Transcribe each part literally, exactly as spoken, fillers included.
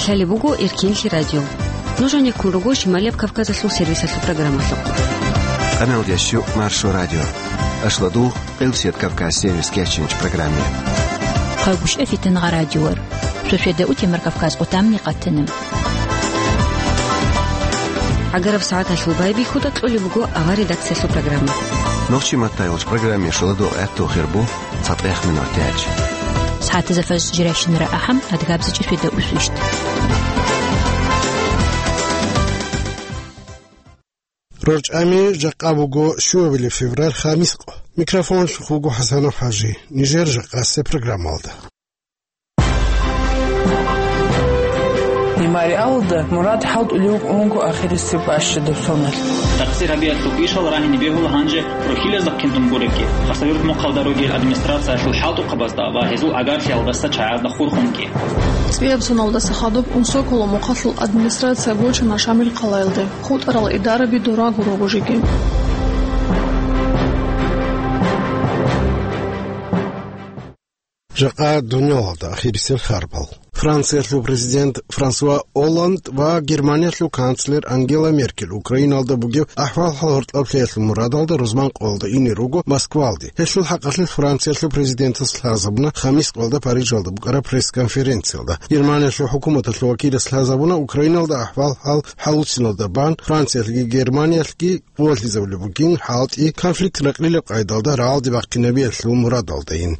Лъалеб буго Эркенлъи радио. Нуж гьанеккун руго Шималияб Кавказалъул сервисалъул программалъухъ. Къаналдящу Маршо радио. Ашладугъ, Къилсият Кавказ сервис кечинч программе. Хъагушев Фитангъа радиор. Шошведа утемар Кавказ отамни къатана. ГӀагараб сагӀаталъул байбихьуда кьолеб буго авар редакциялъул программа. Нохчи маттайолч программе шуладугъ гӀатту хирбу. ЦатӀех минут тяч. СагӀатазда фаз жиращинара ахӀам, адгабзичӀеб шведа усвищт. РорчӀами жакъа буго щуабилеб февраль, хамискъо. Микрофонлъухъ вуго ХӀасанов ХӀажи. Нижер жакъасеб программалда. Мемориалалда Мурад хӀалтӀулев вуго ахирисеб бащадаб соналъ. Такъсир гьабиялъул ишал рагьине бегьула гьанже рухьилазда хъинтӀун гуребги, Хасавюрт мухъалда ругел администрациялъул хӀалтӀухъабазда ва гьезул агарлъиялдаса чагӀазда хурхунги. ЦӀияб соналдаса хадуб Унсоколо мухъалъул администрация гочана Шамил хъалаялде, хутӀарал идараби дора гурого жеги. Жакъа дуниялалда ахирисел харбал. Франциялъул президент Франсуа Олланд ва Германиялъул канцлер Ангела Меркель Украиналда бугеб ахӀвал-хӀал гьоркьоб лъеялъул мурадалда рузман къоялда ине руго Москвалде. Гьелъул хӀакъалъулъ Франциялъул президентас лъазабуна хамис къоялда Парижалда букӀараб пресс-конференциялда. Германиялъул хӀукуматалъул вакилас лъазабуна Украиналда ахӀвал-хӀал хӀалуциналда бан Франциялъги Германиялъги къувалъизабулеб бугин хӀалтӀи, конфликт ракълилеб къайдалда рагӀалде бахъинабиялъул мурадалдайин.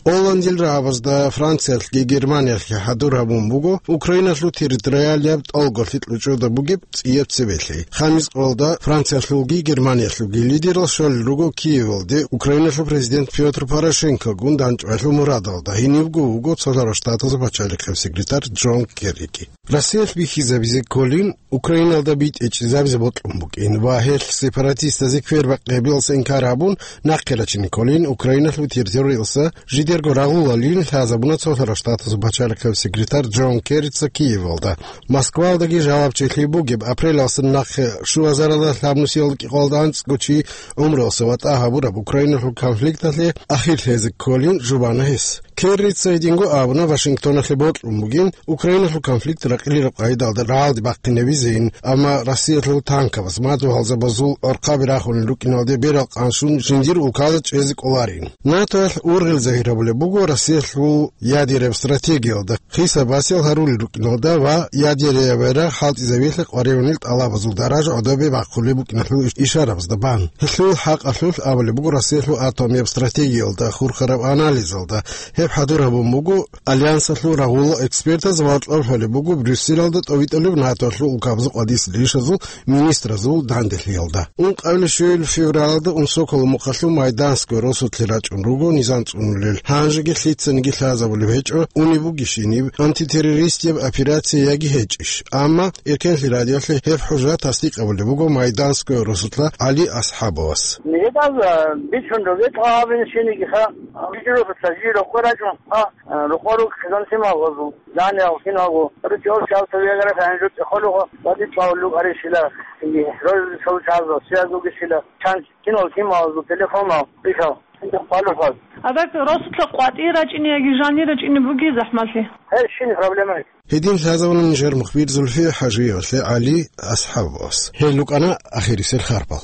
Олландил рагӀабазда Франциялъги Германиялъги хӀадур гьабун буго Украиналъул территориалияб тӀолго лъикӀ лучӀуда бугеб цӀияб цебелъи. Хамис къоялда Франциялъулги Германиялъулги лидерал щолел руго Киевалде Украиналъул президент Пётр Порошенкогун дандчӀвалъул мурадалда, гьенибго вуго Цолъарал Штатазул пачалихъев секретарь Джон Керриги. Россиялъ бихьизабизе кколин Украиналда битӀичӀезабизе бокьун букӀин ва гьелъ сепаратистазе квербакъи гьабиялъе инкар гьабун, нахъе рачине кколин Украиналъул территориялдаса жидерго рагъулалин лъазабуна Цолъарал Штатазул пачалихъев секретарь Джон Керрица Киевалда. Москвалдаги жалабчилъи бугеб апрелалдаса нахъе щуазаралда лъабнусиялда кӀикъоялда анцӀго чи гӀумруялъа ватӀа гьабураб Украиналъул конфликталъе ахир лъезе кколин жубана гьес. Керрица гьединго абуна, Вашингтоналъе бокьун бугин Украиналъул конфликт ракъилараб къайдалда рагӀалде бахъинабизейин, амма Россиялъул танкабаз, мадугьалзабазул гӀорхъаби рахунел рукӀиналде берал къанщун жиндир улкаялда чӀезе кӀоларин. НАТОялъ ургъел загьир гьабулеб буго Россиялъул ядераб стратегиялда, хисаб-басиял гьарулел рукӀиналда ва ядераб ярагъ хӀалтӀизабиялъе къваригӀунел тӀалабазул даража гӀодобе бахъулеб букӀиналъул ишарабазда бан. Гьелъул хӀакъалъулъ абулеб буго Россиялъул атомияб стратегиялда хурхараб анализалда. Гьеб хӀадур гьабун буго Альянсалъул рагъулал экспертаз ва гьоркьоб лъолеб буго Брюсселалда тӀовитӀулеб НАТОялъул улкабазул къватӀисел ишазул министразул данделъиялда. Ункъабилеб щуабилеб февралалда Унсоколо мухъалъул Майданское росулъе рачӀун руго низам цӀунулел. Гьанжеги лъицаниги лъазабулеб гьечӀо, унеб бугищиниб антитеррористияб операция яги гьечӀищ. Амма Эркенлъи радиоялъе гьеб хӀужа тасдикъ гьабулеб буго Майданское росулъа ГӀали Асхабовас. Нижеда бичун ругел гьабин шинигиха, жиро цаги рокъор рачӀун, а, рокъор рук хизан симал гъозу, дани алхин гьаву, ручӀ ос чав цавиягара фагьанжу цӀехолугъо, вади цавлуг аришила, и, роз сов чазо, сиязуги шила, чан кинал сималзу телефонал, бихал, хӀинда хъвалухъал. Адак росулъа къватӀи рачӀине яги жани рачӀине буги захӀмалъи? Гьеб щин проблема. Гьедин лъазавуна нижер мухбир Зульфия ХӀажиевалъе ГӀали Асхабовас. Гьел рукӀана ахирисел харбал.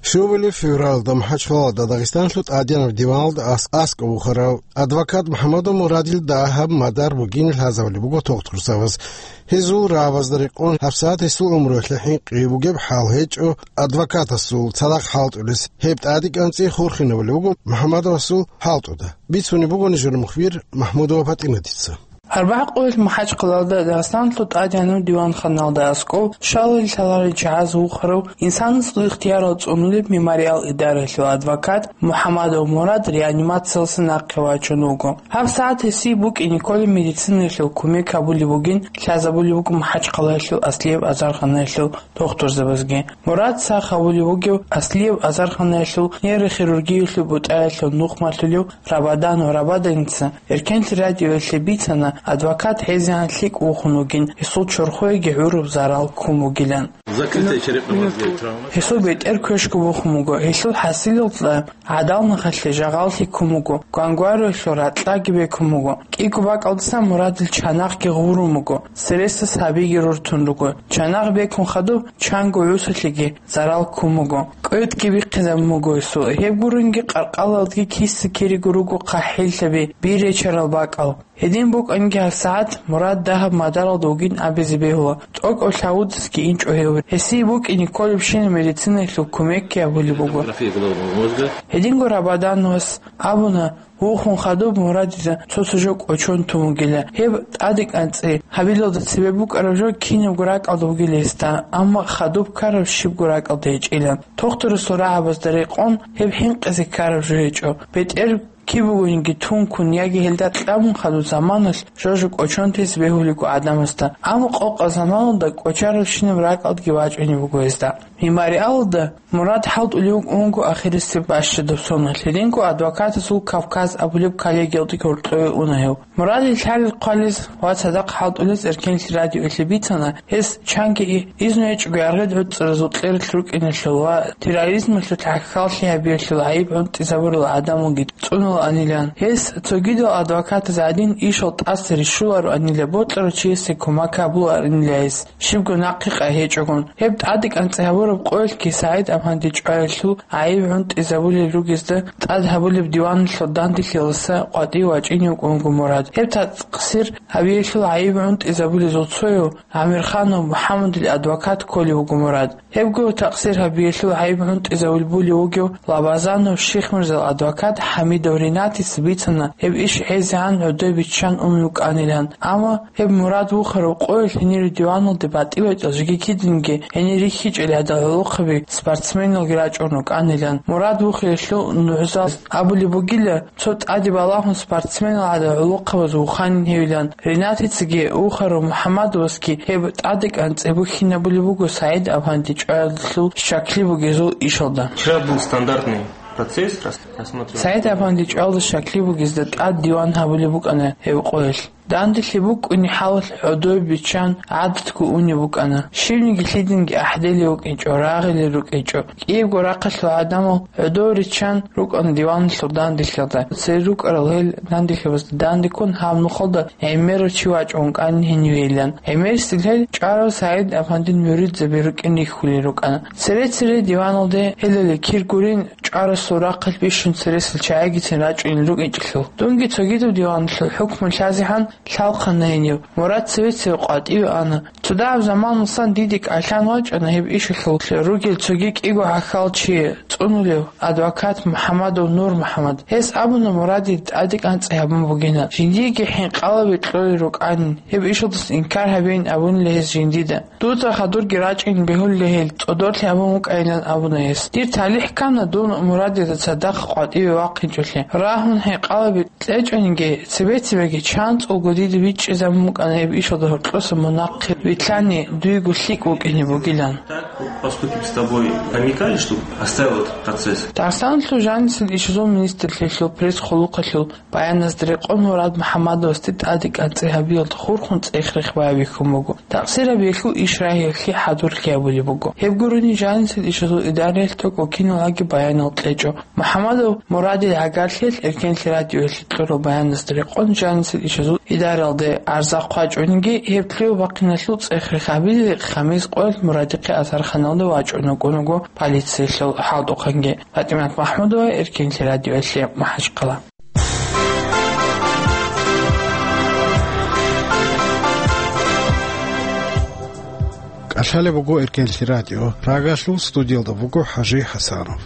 Щуабилеб февралда МахӀачхъалада Дагъистанлъул тӀадегӀанаб диваналда ас-, аскӀов вухарав адвокат МухӀаммадов Мурадил дагьаб мадар бугин лъазабулеб буго тухтурзабаз. Гьезул рагӀабазда рекъон, гьабсагӀат гьесул гӀумруялъе хӀинкъи бугеб хӀал гьечӀо, адвокатасул цадахъ хӀалтӀулес. Гьеб тӀаде кӀанцӀи хурхинабулеб буго МухӀаммадовасул хӀалтӀуда. Бицунеб буго нижер мухбир МахӀмудова ПатӀиматица. Арбагь къоялъ МахӀачхъалада Дагъистанлъул тӀадегӀанав диванханалда аскӀов, щалалде лъаларел чагӀаз вухарав, инсанасул ихтиярал цӀунулеб мемориал идараялъул адвокат МухӀаммадов Мурад реанимациялдаса нахъе вачун вуго. ГьабсагӀат гьесие букӀине кколеб медицинаялъул кумек гьабулеб бугин лъазабулеб буго МахӀачхъалаялъул аслияб азарханаялъул тухтурзабазги. Мурад сах гьавулев вугев аслияб азарханаялъул нейрохирургиялъул бутӀаялъул нухмалъулев Рабадан ва Рабаданица Эркенлъи радиоялъе бицана, Адвокат гӀезегӀан лъикӀ вухун вугин, гьесул чорхоеги гӀураб зарал ккун бугилан. Закрытая черепно-мозговая травма. Гьесул бетӀер квешго бухун буго, гьелъул хӀасилалда гӀадал нахалъе жагъаллъи ккун буго, гвангвариялъул ракьаги бекун буго. КӀиго бакӀалдасан Мурадил чанахъги гъурун буго, цересда сабиги рортун руго. Чанахъ бекун хадуб, чанго гӀусалъеги зарал ккун буго. КӀветги бихъизабун буго гьесул. Гьеб гурунги къаркъалалдги киса-кириго руго хъахӀиллъаби, бир речарал бакӀал. Гьедин букӀанги гьабсагӀат Мурад дагьаб мадаралда вугин абизе бегьула, тӀокӀав лъавудасги инчӀо гьев. Гьесие букӀине кколебщинаб медицинаялъул кумекги гьабулеб буго. Томография головного мозга. Гьединго Рабадановас абуна, вухун хадуб Мурадида цо-цо жо кӀочон тун вугила. Гьеб тӀадекӀанцӀи гьабилалда цебе букӀараб жо кинабго ракӀалда бугила гьесда, амма хадуб ккараб щибго ракӀалда гьечӀила. Тухтурасул рагӀабазда рекъон гьеб хӀинкъизе ккараб жо гьечӀо. БетӀер киб бугониги тункун яги гьелда кьабун хадуб заманалъ жо-жо кӀочон тес бегьулеб буго гӀадамазда, амма къокъаб заманалда кӀочарабщинаб ракӀалдги вачӀунеб буго гьезда. Мемориалалда Мурад хӀалтӀулев вуго ахирисеб бащадаб соналъ. Гьединго адвокатасул Кавказ абулеб коллегиялде гьоркьове уна гьев. Мурадил лъалел-хъвалез ва цадахъ хӀалтӀулез Эркенлъи радиоялъе бицана, гьес чанги и-, изну гьечӀого аргъед гӀуцӀаразул кьералъ рукӀиналъул ва терроризмалъул гӀахьаллъи гьабиялъул гӀайиб гӀунтӀизабурал гӀадамалги цӀунулаанилан. Гьес цогидал адвокатаз гӀадин ишал тӀаса рищулароанила, бокьарав чиясе кумек гьабулаанила гьес, щибго нахъе къай гьечӀогун. Гьеб тӀадекӀанцӀи гьабураб къоялъги СагӀид-Афанди чӀваялъул гӀайиб гӀунтӀизабулел ругезда тӀад гьабулеб диваналъул данделъиялдаса къватӀив вачӀине вукӀун вуго Мурад. Гьеб такъсир гьабиялъул гӀайиб гӀунтӀизабулезул цояв ГӀамирханов МухӀаммадил адвокат кколев вуго Мурад. Гьебго такъсир гьабиялъул гӀайиб гӀунтӀизабулеб вугев Лабазанов Шихмирзал адвокат ХӀамидов Ринатица бицана, гьеб иш гӀезегӀан гӀодобе биччан ун вукӀанилан. Амма гьеб Мурад вухарав къоялъ гьенир диваналде батӀи-батӀиял жеги кидинги гьенир рихьичӀел гӀадал гӀолохъаби, спортсменалги рачӀун рукӀанилан. Мурад вухиялъул нугӀзал абулеб бугила, цо тӀаде балагьун спортсменал гӀадал гӀолохъабаз вуханин гьевилан. Ринатицаги вухарав МухӀаммадовасги гьеб тӀадекӀанцӀи бухьинабулеб буго СагӀид-Афанди чӀваялъул щаклъи бугезул ишалда. Вчера был стандартный процесс, рас-, рассматривали. СагӀид-Афанди чӀваялда щаклъи бугезда тӀад диван гьабулеб букӀана гьеб къоялъ. Данделъи букӀунеб хӀалалъ гӀодобе биччан гӀадатго унеб букӀана. Щивниги лъидинги ахӀделев вукӀинчӀо, рагъулел рукӀинчӀо. КӀиябго рахъалъул гӀадамал гӀодов риччан рукӀана диваналъул данделъиялда. Цере рукӀарал гьел данделъиябазда данде ккун гьаб нухалда гӀемерав чи вачӀун вукӀанин гьенивейилан. ГӀемерисел гьел чӀварав СагӀид-Афандил муридзаби рукӀин рихьулел рукӀана. Цере-цере диваналде гьелале кир гурин чӀварасул рахъалъ бищун цересел чагӀигицин рачӀунел рукӀинчӀелъул. Дунги цогидаб диваналъул хӀукму лъазехӀан лъалхъана гьенив. Мурад цеве-цеве къватӀиве ана. Цо дагьаб заманалдасан диде кӀалъан вачӀана гьеб ишалъул ругел цоги кӀиго гӀахьалчи цӀунулев адвокат МухӀаммадов Нур МухӀаммад. Гьес абуна, Мурадил тӀадекӀанцӀи гьабун бугина, жиндиеги хӀинкъалаби кьолел рукӀанин, гьеб ишалдаса инкар гьабейин абунила гьес жиндида. Дуда хадурги рачӀин бегьулила гьел, цӀодорлъи гьабун вукӀайилан абуна гьес. Дир талихӀ ккана дун Мурадида цадахъ къватӀиве вахъинчӀолъи. Рагьун хӀинкъалаби кьечӀониги, цебе-цебеги чанцӀулго дида бичӀчӀизабун букӀана гьеб ишалда гьоркьоса мунагьал вилълъани дуего лъикӀ вукӀине бугилан. Так, вот поступить с тобой намекали, что оставил этот процесс? Дагъистаналъул жанисел ишазул министрлъиялъул пресс-хъулухъалъул баяназда рекъон Мурад МухӀаммадовасде тӀадекӀанцӀи гьабиялда хурхун цӀех-рех байбихьун буго. Такъсир гьабиялъул иш рагьиялъе хӀадурлъи гьабулеб буго. Гьеб гурони жанисел ишазул идараялъ тӀокӀав киналги баянал кьечӀо. МухӀаммадов Мурадил гӀагарлъиялъ Эркенлъи радиоялъе кьураб баяназда рекъон жанисел ишазул идаралде арза хъвачӀониги, гьеб лъугӀа-бахъиналъул цӀех-рех гьабизе, хамис къоялъ Мурадихъе асарханалде вачӀун вукӀун вуго полициялъул хӀалтӀухъанги. ПатӀимат МахӀмудова, Эркенлъи радиоялъе, МахӀачхъала. КӀалъалеб буго Эркенлъи радио. Прагалъул студиялда буго ХӀажи ХӀасанов.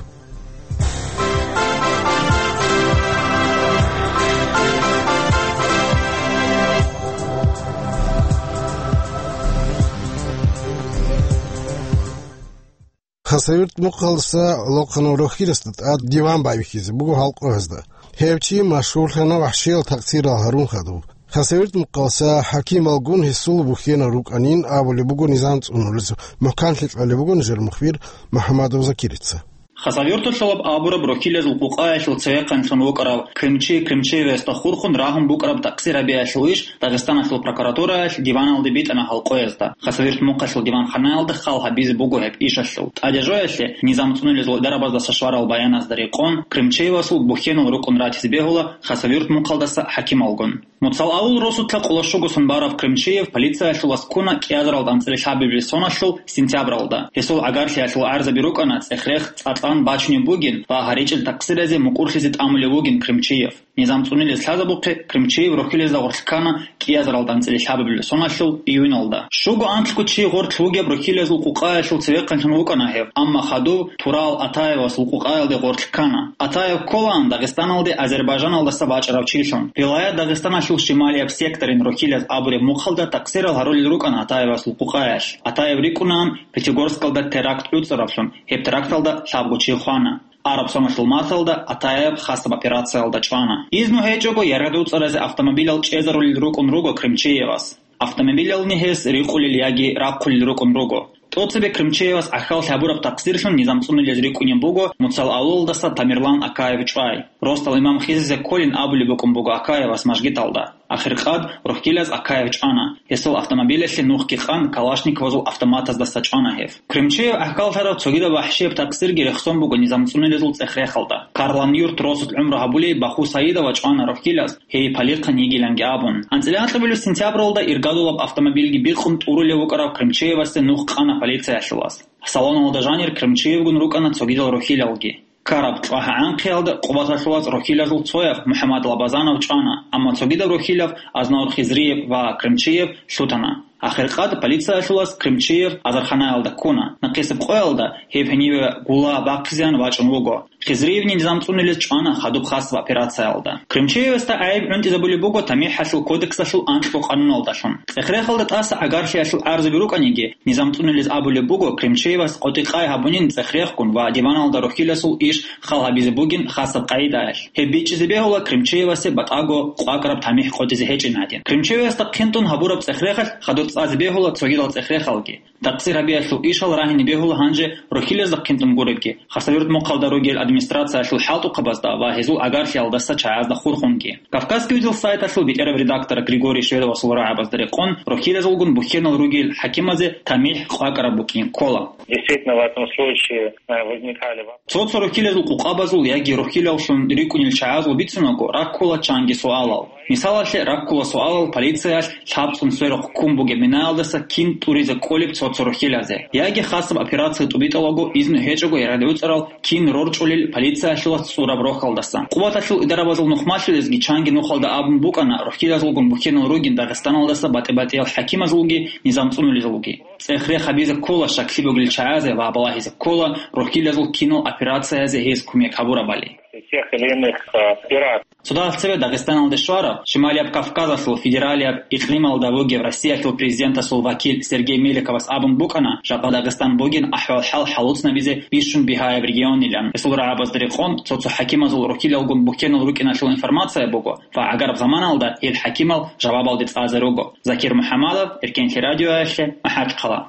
Хасавюрт мухъалдаса гӀолохъанав рохьидасда тӀад диван байбихьизе буго халкъ гьезда. Гьев чи машгьурлъана вахӀшиял такъсирал гьарун хадуб. Хасавюрт мухъалдаса хӀакималгун гьесул бухьенал рукӀанин абулеб буго низам цӀунулез мухӀканлъи кьолеб буго нижер мухбир МухӀаммадов Закирица. Хасавюрталъулаб абураб рохьилазул къукъаялъул цевехъанлъун вукӀарав Кримчи Кримчиевасда хурхун рагьун букӀараб такъсир гьабиялъул иш Дагъистаналъул прокуратураялъ диваналде битӀана халкъоязда. Хасавюрт мухъалъул диванханаялда хал гьабизе буго гьеб ишалъул. ТӀадежоялъе низам цӀунулезул дарабаздаса щварал баяназда рекъон, Кримчиевасул бухьенал рукӀун ратизе бегьула Хасавюрт мухъалдаса хӀакималгун. Муцал авул росулъа къоло щуго сон барав Кримчиев полициялъул васкуна кӀиазаралда анцӀила лъабабилеб соналъул сентябралда. Гьесул гӀагарлъиялъул гӀарзаби рукӀана цӀехрех, цӀакъан бачунеб бугин ва гьаричӀел такъсиразе мукӀурлъизе тӀамулев вугин Кримчиев. Низам цӀунилез лъазабухъе, Кримчиев рохьилезда гъорлъ ккана кӀиазаралда анцӀила лъабабилеб соналъул июналда. Щуго анлъго чи гъорлъ вугеб рохьилазул къукъаялъул цевехъанлъун вукӀана гьев, амма хадув Турал Атаевасул къукъаялде гъорлъ ккана. Атаев кколаан Дагъистаналде Азербайжаналдаса бачӀарав чилъун. Вилаят Дагъистаналъул шималияб секторин рохьилаз абуреб мухъалда такъсирал гьарулел рукӀана Атаевасул къукъаялъ. Атаев рикӀкӀунаан Пятигорскалда теракт гӀуцӀаравлъун, гьеб теракталда лъабго чи хвана. Араб соналъул марталда Атаев хасаб операциялда чӀвана. Изну гьечӀого яргъи уцӀаразе автомобилал чӀезарулел рукӀун руго Кримчиевас. Автомобилални гьес рикъулел яги рахъулел рукӀун руго. ТӀоцебе Кримчиевас гӀахьаллъи гьабураб такъсирлъун низам цӀунулез рикӀкӀунеб буго Муцал авулалдаса Тамерлан Акаев чӀвай. Ростал имам хизизе кколин абулеб букӀун буго Акаевас мажгиталда. Ахиркъад рохьилаз Акаев чӀвана. Гьесул автомобилалъе нухги къан калашниковазул автоматаздаса чӀвана гьев. Кримчиев гӀахьаллъарав цогидаб вахӀщияб такъсирги рехсон буго низам цӀунулезул цӀех-рехалда. Карлан-Юрт росулъ гӀумру гьабулей Баху Саидова чӀвана рохьилаз, гьей палихъан йигиланги абун. АнцӀила анкьабилеб сентябралда иргадулаб автомобилги бикъун тӀурулев вукӀарав Кримчиевасде нух къана полициялъулас. Салоналда жанир Кримчиевгун рукӀана цогидал рохьилалги. Ккараб чӀвагӀа-гӀанхъиялда Къубаталъулас рохьилазул цояб МухӀаммад Лабазанов чӀвана, амма цогидаб рохьилаб Азнавур Хизриев ва Кримчиев лъутана. Ахиркъад полициялъулас Кримчиев азарханаялда ккуна. Нахъисеб къоялда гьеб гьениве гула бахъизеян вачӀун вуго. Хизриевни низам цӀунулез чӀвана хадуб хасаб операциялда. Кримчиевасда гӀайиб гӀунтӀизабулеб буго ТамихӀалъул кодексалъул анкьго къануналдалъун. ЦӀех-рехалда тӀаса гӀагарлъиялъул гӀарзаби рукӀаниги, низам цӀунулез абулеб буго Кримчиевас къотӀи-къай гьабунин цӀех-рехгун ва диваналда рохьиласул иш хал гьабизе бугин хасаб къагӀидаялъ. Гьеб бичӀчӀизе бегьула Кримчиевасе батӀаго къвакӀараб тамихӀ къотӀизе гьечӀин гӀадин. Кримчиевасда хъинтӀун гьабураб цӀех-рехалъ хадур цӀазе бегьула цогидал цӀех-рехалги. Такъсир гьабиялъул ишал рагьине бегьула гьанже рохьилазда хъинтӀун гуребги. Хасавюрт мухъалда ругел администрациялъул хӀалтӀухъабазда ва гьезул гӀагарлъиялдаса чагӀазда хурхунги. Кавказский узел сайталъул бетӀерав редактор Григорий Шведовасул рагӀабазда рекъон, рохьилазулгун бухьенал ругел хӀакимазе тамихӀ къвакӀараб букӀин ккола. Действительно, в этом случае, э, возникали воп- Цо-цо рохьилазул къукъабазул яги рохьилаллъун рикӀкӀунел чагӀазул бицунаго, раккула чанги суалал. Мисалалъе, раккула суалал полициялъ лъабцӀун сверухъ ккун бугеб минаялдаса кин тӀуризе кӀолеб цо-цо рохьилазе. Яги хасаб операция тӀубитӀалаго изну гьечӀого яргъи уцӀарал кин рорчӀулел полициялъулас цӀураб рохьалдасан. Къуваталъул идарабазул нухмалъулезги чанги нухалда абун букӀана рохьилазулгун бухьенал ругин Дагъистаналдаса батӀи-батӀиял хӀакимазулги низам цӀунулезулги. ЦӀех-рех гьабизе ккола щаклъи бугел чагӀазе ва балагьизе ккола рохьилазул кинал операциязе гьез кумек гьабурабали. Тех или иных, э, пиратов. Цо дагьаб цебе Дагъистаналде щвараб, Шималияб Кавказалъул федералияб икълималда вугев Россиялъул президентасул вакил Сергей Меликовас абун букӀана, жакъа Дагъистан бугин ахӀвал-хӀал хӀалуцӀнабизе бищун бигьаяб регионилан. Гьесул рагӀабазда рекъон, цо-цо хӀакимазул рохьилалгун бухьенал рукӀиналъул информация буго ва гӀагараб заманалда гьел хӀакимал жавабалде цӀазе руго. Закир МухӀаммадов, Эркенлъи радиоялъе, МахӀачхъала.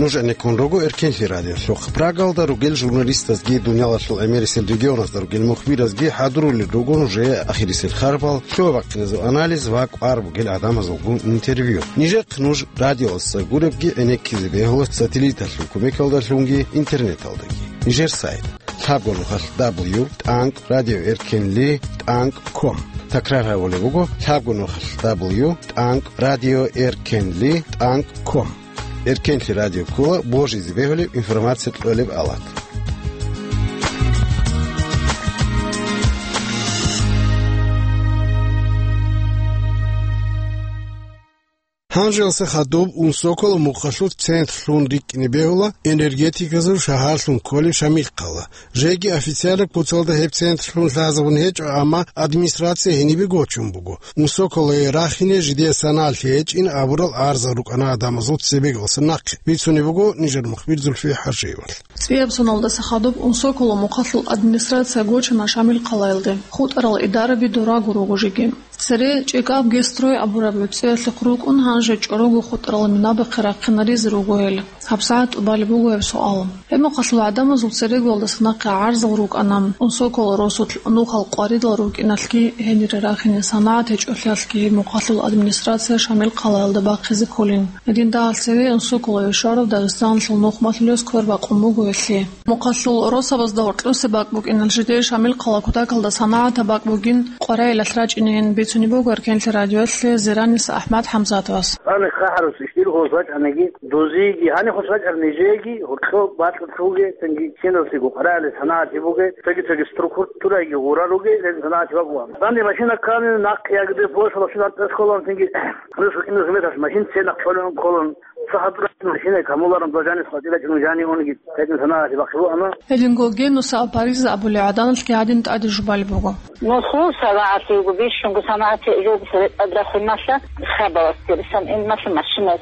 Нуж гӀенеккун руго Эркенлъи радиолъухъ. Прагалда ругел журналистазги, дуниялалъул гӀемерисел регионазда ругел мухбиразги хӀадурулел руго нужее ахирисел харбал, лъугьа-бахъиназул анализ ва кӀвар бугел гӀадамазулгун интервью. Нижехъ нуж радиоялдаса гуребги гӀенеккизе бегьула сателлиталъул кумекалдалъунги интернеталдаги. Нижер сайт: лъабго нухалъ дабл ю тӀанкӀ радио эркенли тӀанкӀ ком. Такрар гьабулеб буго: лъабго нухалъ дабл ю тӀанкӀ радио эркенли тӀанкӀ ком. Эркенлъи радио ккола божизе бегьулеб информация кьолеб алат. Гьанжеялъе хадуб Унсоколо мухъалъулъ центрлъун рикӀкӀине бегьула энергетиказул шагьарлъун кколеб Шамилхъала. Жеги официально куцалда гьеб центрлъун лъазабун гьечӀо, амма администрация гьенибе гочун буго. Унсоколое рахине жидее санаялъе гьечӀин абурал арзал рукӀана гӀадамазул цебегалъа нахъе. Бицунеб буго нижер мухбир Зульфия ХӀажиевалъ. ЦӀияб соналдаса хадуб Унсоколо мухъалъул администрация гочана Шамилхъалаялде. ХутӀарал идараби дораго руго жеги. Цере ЧӀикӀаб Гестрой абураб гӀуцӀиялъухъ рукӀун, гьанже чӀорого хутӀарал минабахъе рахъинаризе руго гьел. ГьабсагӀат тӀубалеб буго гьеб суал. Гьеб мухъалъул гӀадамазул церегоялдаса нахъе гӀарзал рукӀана, Унсокол росулъ нухал къваридал рукӀиналъги гьенире рахине санагӀат гьечӀолъиялъги гьеб мухъалъул администрация Шамил хъалаялда бахъизе кколин. Гьедин дагьал цеве Унсоколове щварав Дагъистаналъул нухмалъулес квербакъун буго гьелъие. Мухъалъул росабазда гьоркьоса бакӀ букӀинал жидее Шамил хъала кутакалда санагӀатаб бакӀ бугин къваригӀелалъ рачӀинейин бицунеб буго Эркенлъи радиоялъе Зираниса АхӀмад ХӀамзатовас. Гьаниб хъахӀарус ишдир хос бачӀаниги, дозиеги, гьаниб хос бачӀараб нижееги, гьоркьоб бакьулъуги, цинги киналлъиго къваригӀелалъ санагӀатги бугеб, цоги-цоги структураги гъураруги, гьел санагӀатги бакӀ бугеб. Данде машина ккани, нахъ ягде, площадь машина тӀасхъолан, цинги рус рукӀиналъ метралъ машин ценахъ кьолеб кколан. Сахаб машина камуларун бажани хватила чӀун жани унги тетин санагӀалъи бахъулаана. Гьединго Генуса Апариза абулеб гӀаданалъги гьадин тӀаде жубалеб буго. Нусул санагӀалъи буго, бищунго санагӀалъи жо сорекъад рахуналъа, хабалас тересан ил малъа машина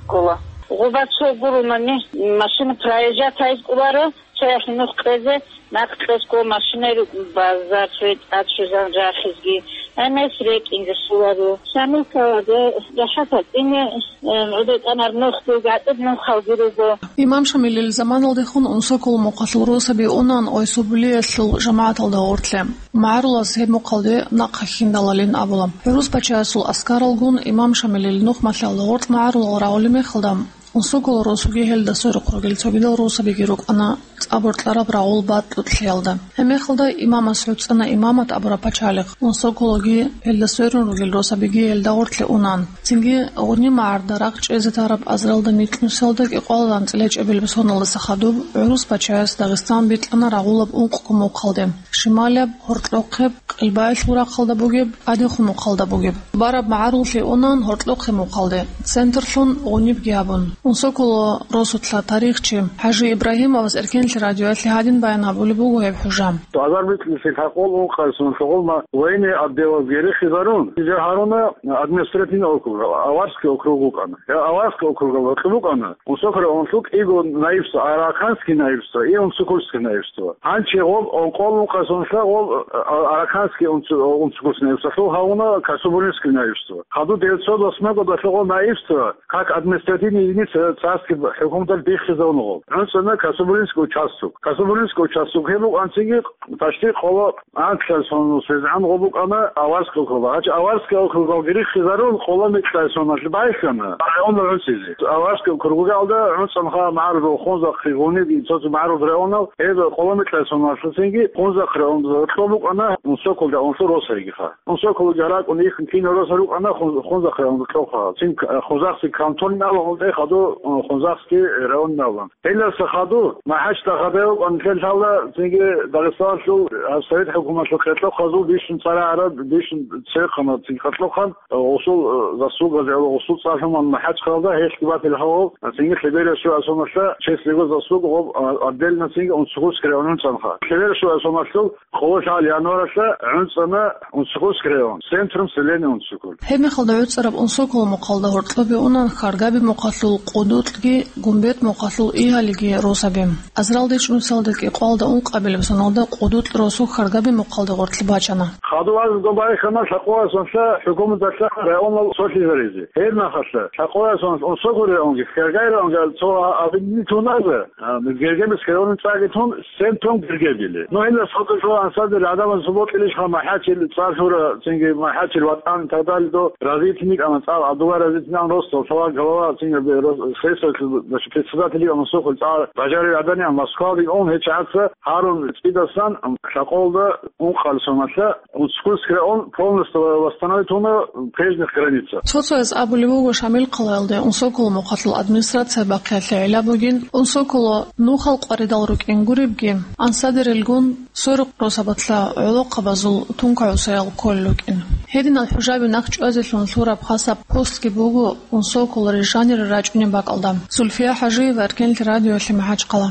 ккола. Гъуба цо гурони машина проезжать гьайз кӀоларо, цояхъ нух кьезе, нахъ кьесго машинай рукӀун базар цоги тӀад щвезан рахизги, гӀемер рекӀинги лъоларо. Шамил хъалада рахӀат гьатӀине, э, гӀодор тӀамар нух буго, гьатӀир нухалги руго. Имам Шамилил заманалдехун Унсокол мухъалъул росаби унан Ойсобулиялъул жамагӀаталда гъоркье. МагӀарулас гьеб мухъалде нахъа хьиндалалин абула. ГӀурус пачаясул аскаралгун Имам Шамилил нухмалъиялда гъоркь магӀарулал рагъулеб мехалда, Унсокол росуги гьелда сверухъ ругел цогидал росабиги рукӀана цӀа боркьараб рагъул батӀулъиялда. Гьебмехалда имамас гӀуцӀана имамат абураб пачалихъ, Унсокологи гьелда сверун ругел росабиги гьелда гъоркье унан. Цинги гъуниб магӀарда рагъ чӀезе тараб азаралда микьнусиялда кӀикъоялда анцӀила чӀебилеб соналдаса хадуб гӀурус пачаяс Дагъистан бикьана рагъулаб ункъго мухъалде: шималияб, гьоркьохъеб, Къилбаялъул рахъалда бугеб, тӀадехун мухъалда бугеб. Бараб магӀаруллъи унан гьоркьохъеб мухъалде, центрлъун гъунибги гьабун. Унсоколо росулъа тарихчи ХӀажи Ибрагьимовас Эркенлъи радиоялъе гьадин баян гьабулеб буго гьеб хӀужа. Азар бикьнусил гьакъул ункъарсун лъугъулма военный отделалги рихизарун, гьаруна административный округ, Аварский округ вукӀана. Гьеб Аварский округал гьоркьоб букӀана Унсокол районалъул кӀиго наибство, Араканский наибство и Унсокольский наибство. Гьанже гъоб, о, къолун къасуналъа гъоб, а, Араканский унцу-, Унсокольский наибстволъул гьавуна Касубулинский наибство. Хадуб девятьсот восьмой годалъа гъоб наибство как административная единица царский хӀукуматалъ биххизавуна гъоб. ГӀуцӀана Касубулинский участок. Касубулинский участок гьеб букӀанцинги почти къоло анкьлъай соналъ гӀан гъоб букӀана Аварский округал. Гьанже Аварский округалги риххизарун, къоло микьлъай соналъ байхьана районал гӀуцӀизе. Аварский округалда гӀуцӀанха магӀарул Хунзахъ, Гъуниб, цо-цо магӀарул районал, гьеб къоло микьлъай соналъ цинги Хунзахъ районалда гьоркьоб букӀана Унсокол районалъул росайгиха. Унсоколги ракӀун ихьун кинал росал рукӀана Хун-, Хунзахъ районалда кьолха. Цин к-, Хунзахъ цин кантон абун, гьелда хадуб, э, Хунзахъский район абун. Гьелдаса хадуб, МахӀачда хадуб, анлъелъала цинги Дагъистаналъул, а, Совет хӀукуматалъул къеркьохъазул бищун цӀарагӀараб, бищун церехъана цинги къеркьохъан, а, гъусул, а, заслугазе, гъусул цӀар лъуман МахӀачхъалда гьелъги батил гьавал, а, цинги лъеберасул асуналъа честь его заслуг гъоб, а, отдельно цинги Унсокольский районун цӀанха. Лъеберасул асуналъул къоло лъагӀал январалъа гӀуцӀана Унсокольский район, центром селения Унсоколь. Гьебмехалда гӀуцӀараб Унсокол мухъалда гьоркьобе унан Хьаргаби мухъалъул КъудутӀги, Гумбет мухъалъул Игьалиги росаби. Азаралда ичӀнусиялда кӀикъоялда ункъабилеб соналда КъудутӀ росу Хьаргаби мухъалда гъоркье бачана. Хадуб азарго байхана лъакъоясанлъа хӀукуматалъа районал цолъизаризе. Гьебмехалъа лъакъоясанлъ Унсокол районги Хьаргаби районги цо абилни туназа, а, Гергебис районин цӀаги тун, центром Гергебили. Ну, гьелдаса хадуб жо ансадил гӀадамаз субокьилищха МахӀачил цӀар лъура, цинги МахӀачил ватӀан и так далее до развития никӀана цӀар, гӀадула развития никӀан росдал, цала голова, цинги рос-, сессиялъул, значит, председатель никӀан Унсокол цӀар бажарил гӀадамал Москвалде ун гьечӀаца гьарун цӀидасан лъакъолда ункъал соналъа Унсокольский район полностью восстановить гьуна прежних границах. Цо-цояз абулеб буго Шамил хъалаялде Унсокол мухъалъул администрация бахъиялъе гӀилла бугин, Унсоколо нухал къваридал рукӀин гуребги, ансадерилгун сверухъ росабалъа гӀолохъабазул тункагӀусаял кколел рукӀин. Гьединал хӀужаби нахъ чӀвазелъун лъураб хасаб постги буго Унсокол рижанире рачӀунеб бакӀалда. Зульфия ХӀажиева, Эркенлъи радиоялъе, МахӀачхъала.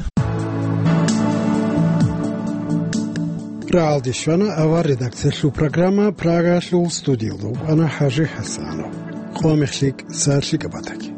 РагӀалде щвана авар редакциялъул программа, Прагаялъул студиялда вукӀана ХӀажи ХӀасанов. Къо мехлъи, сагӀатлъи кӀабатаги.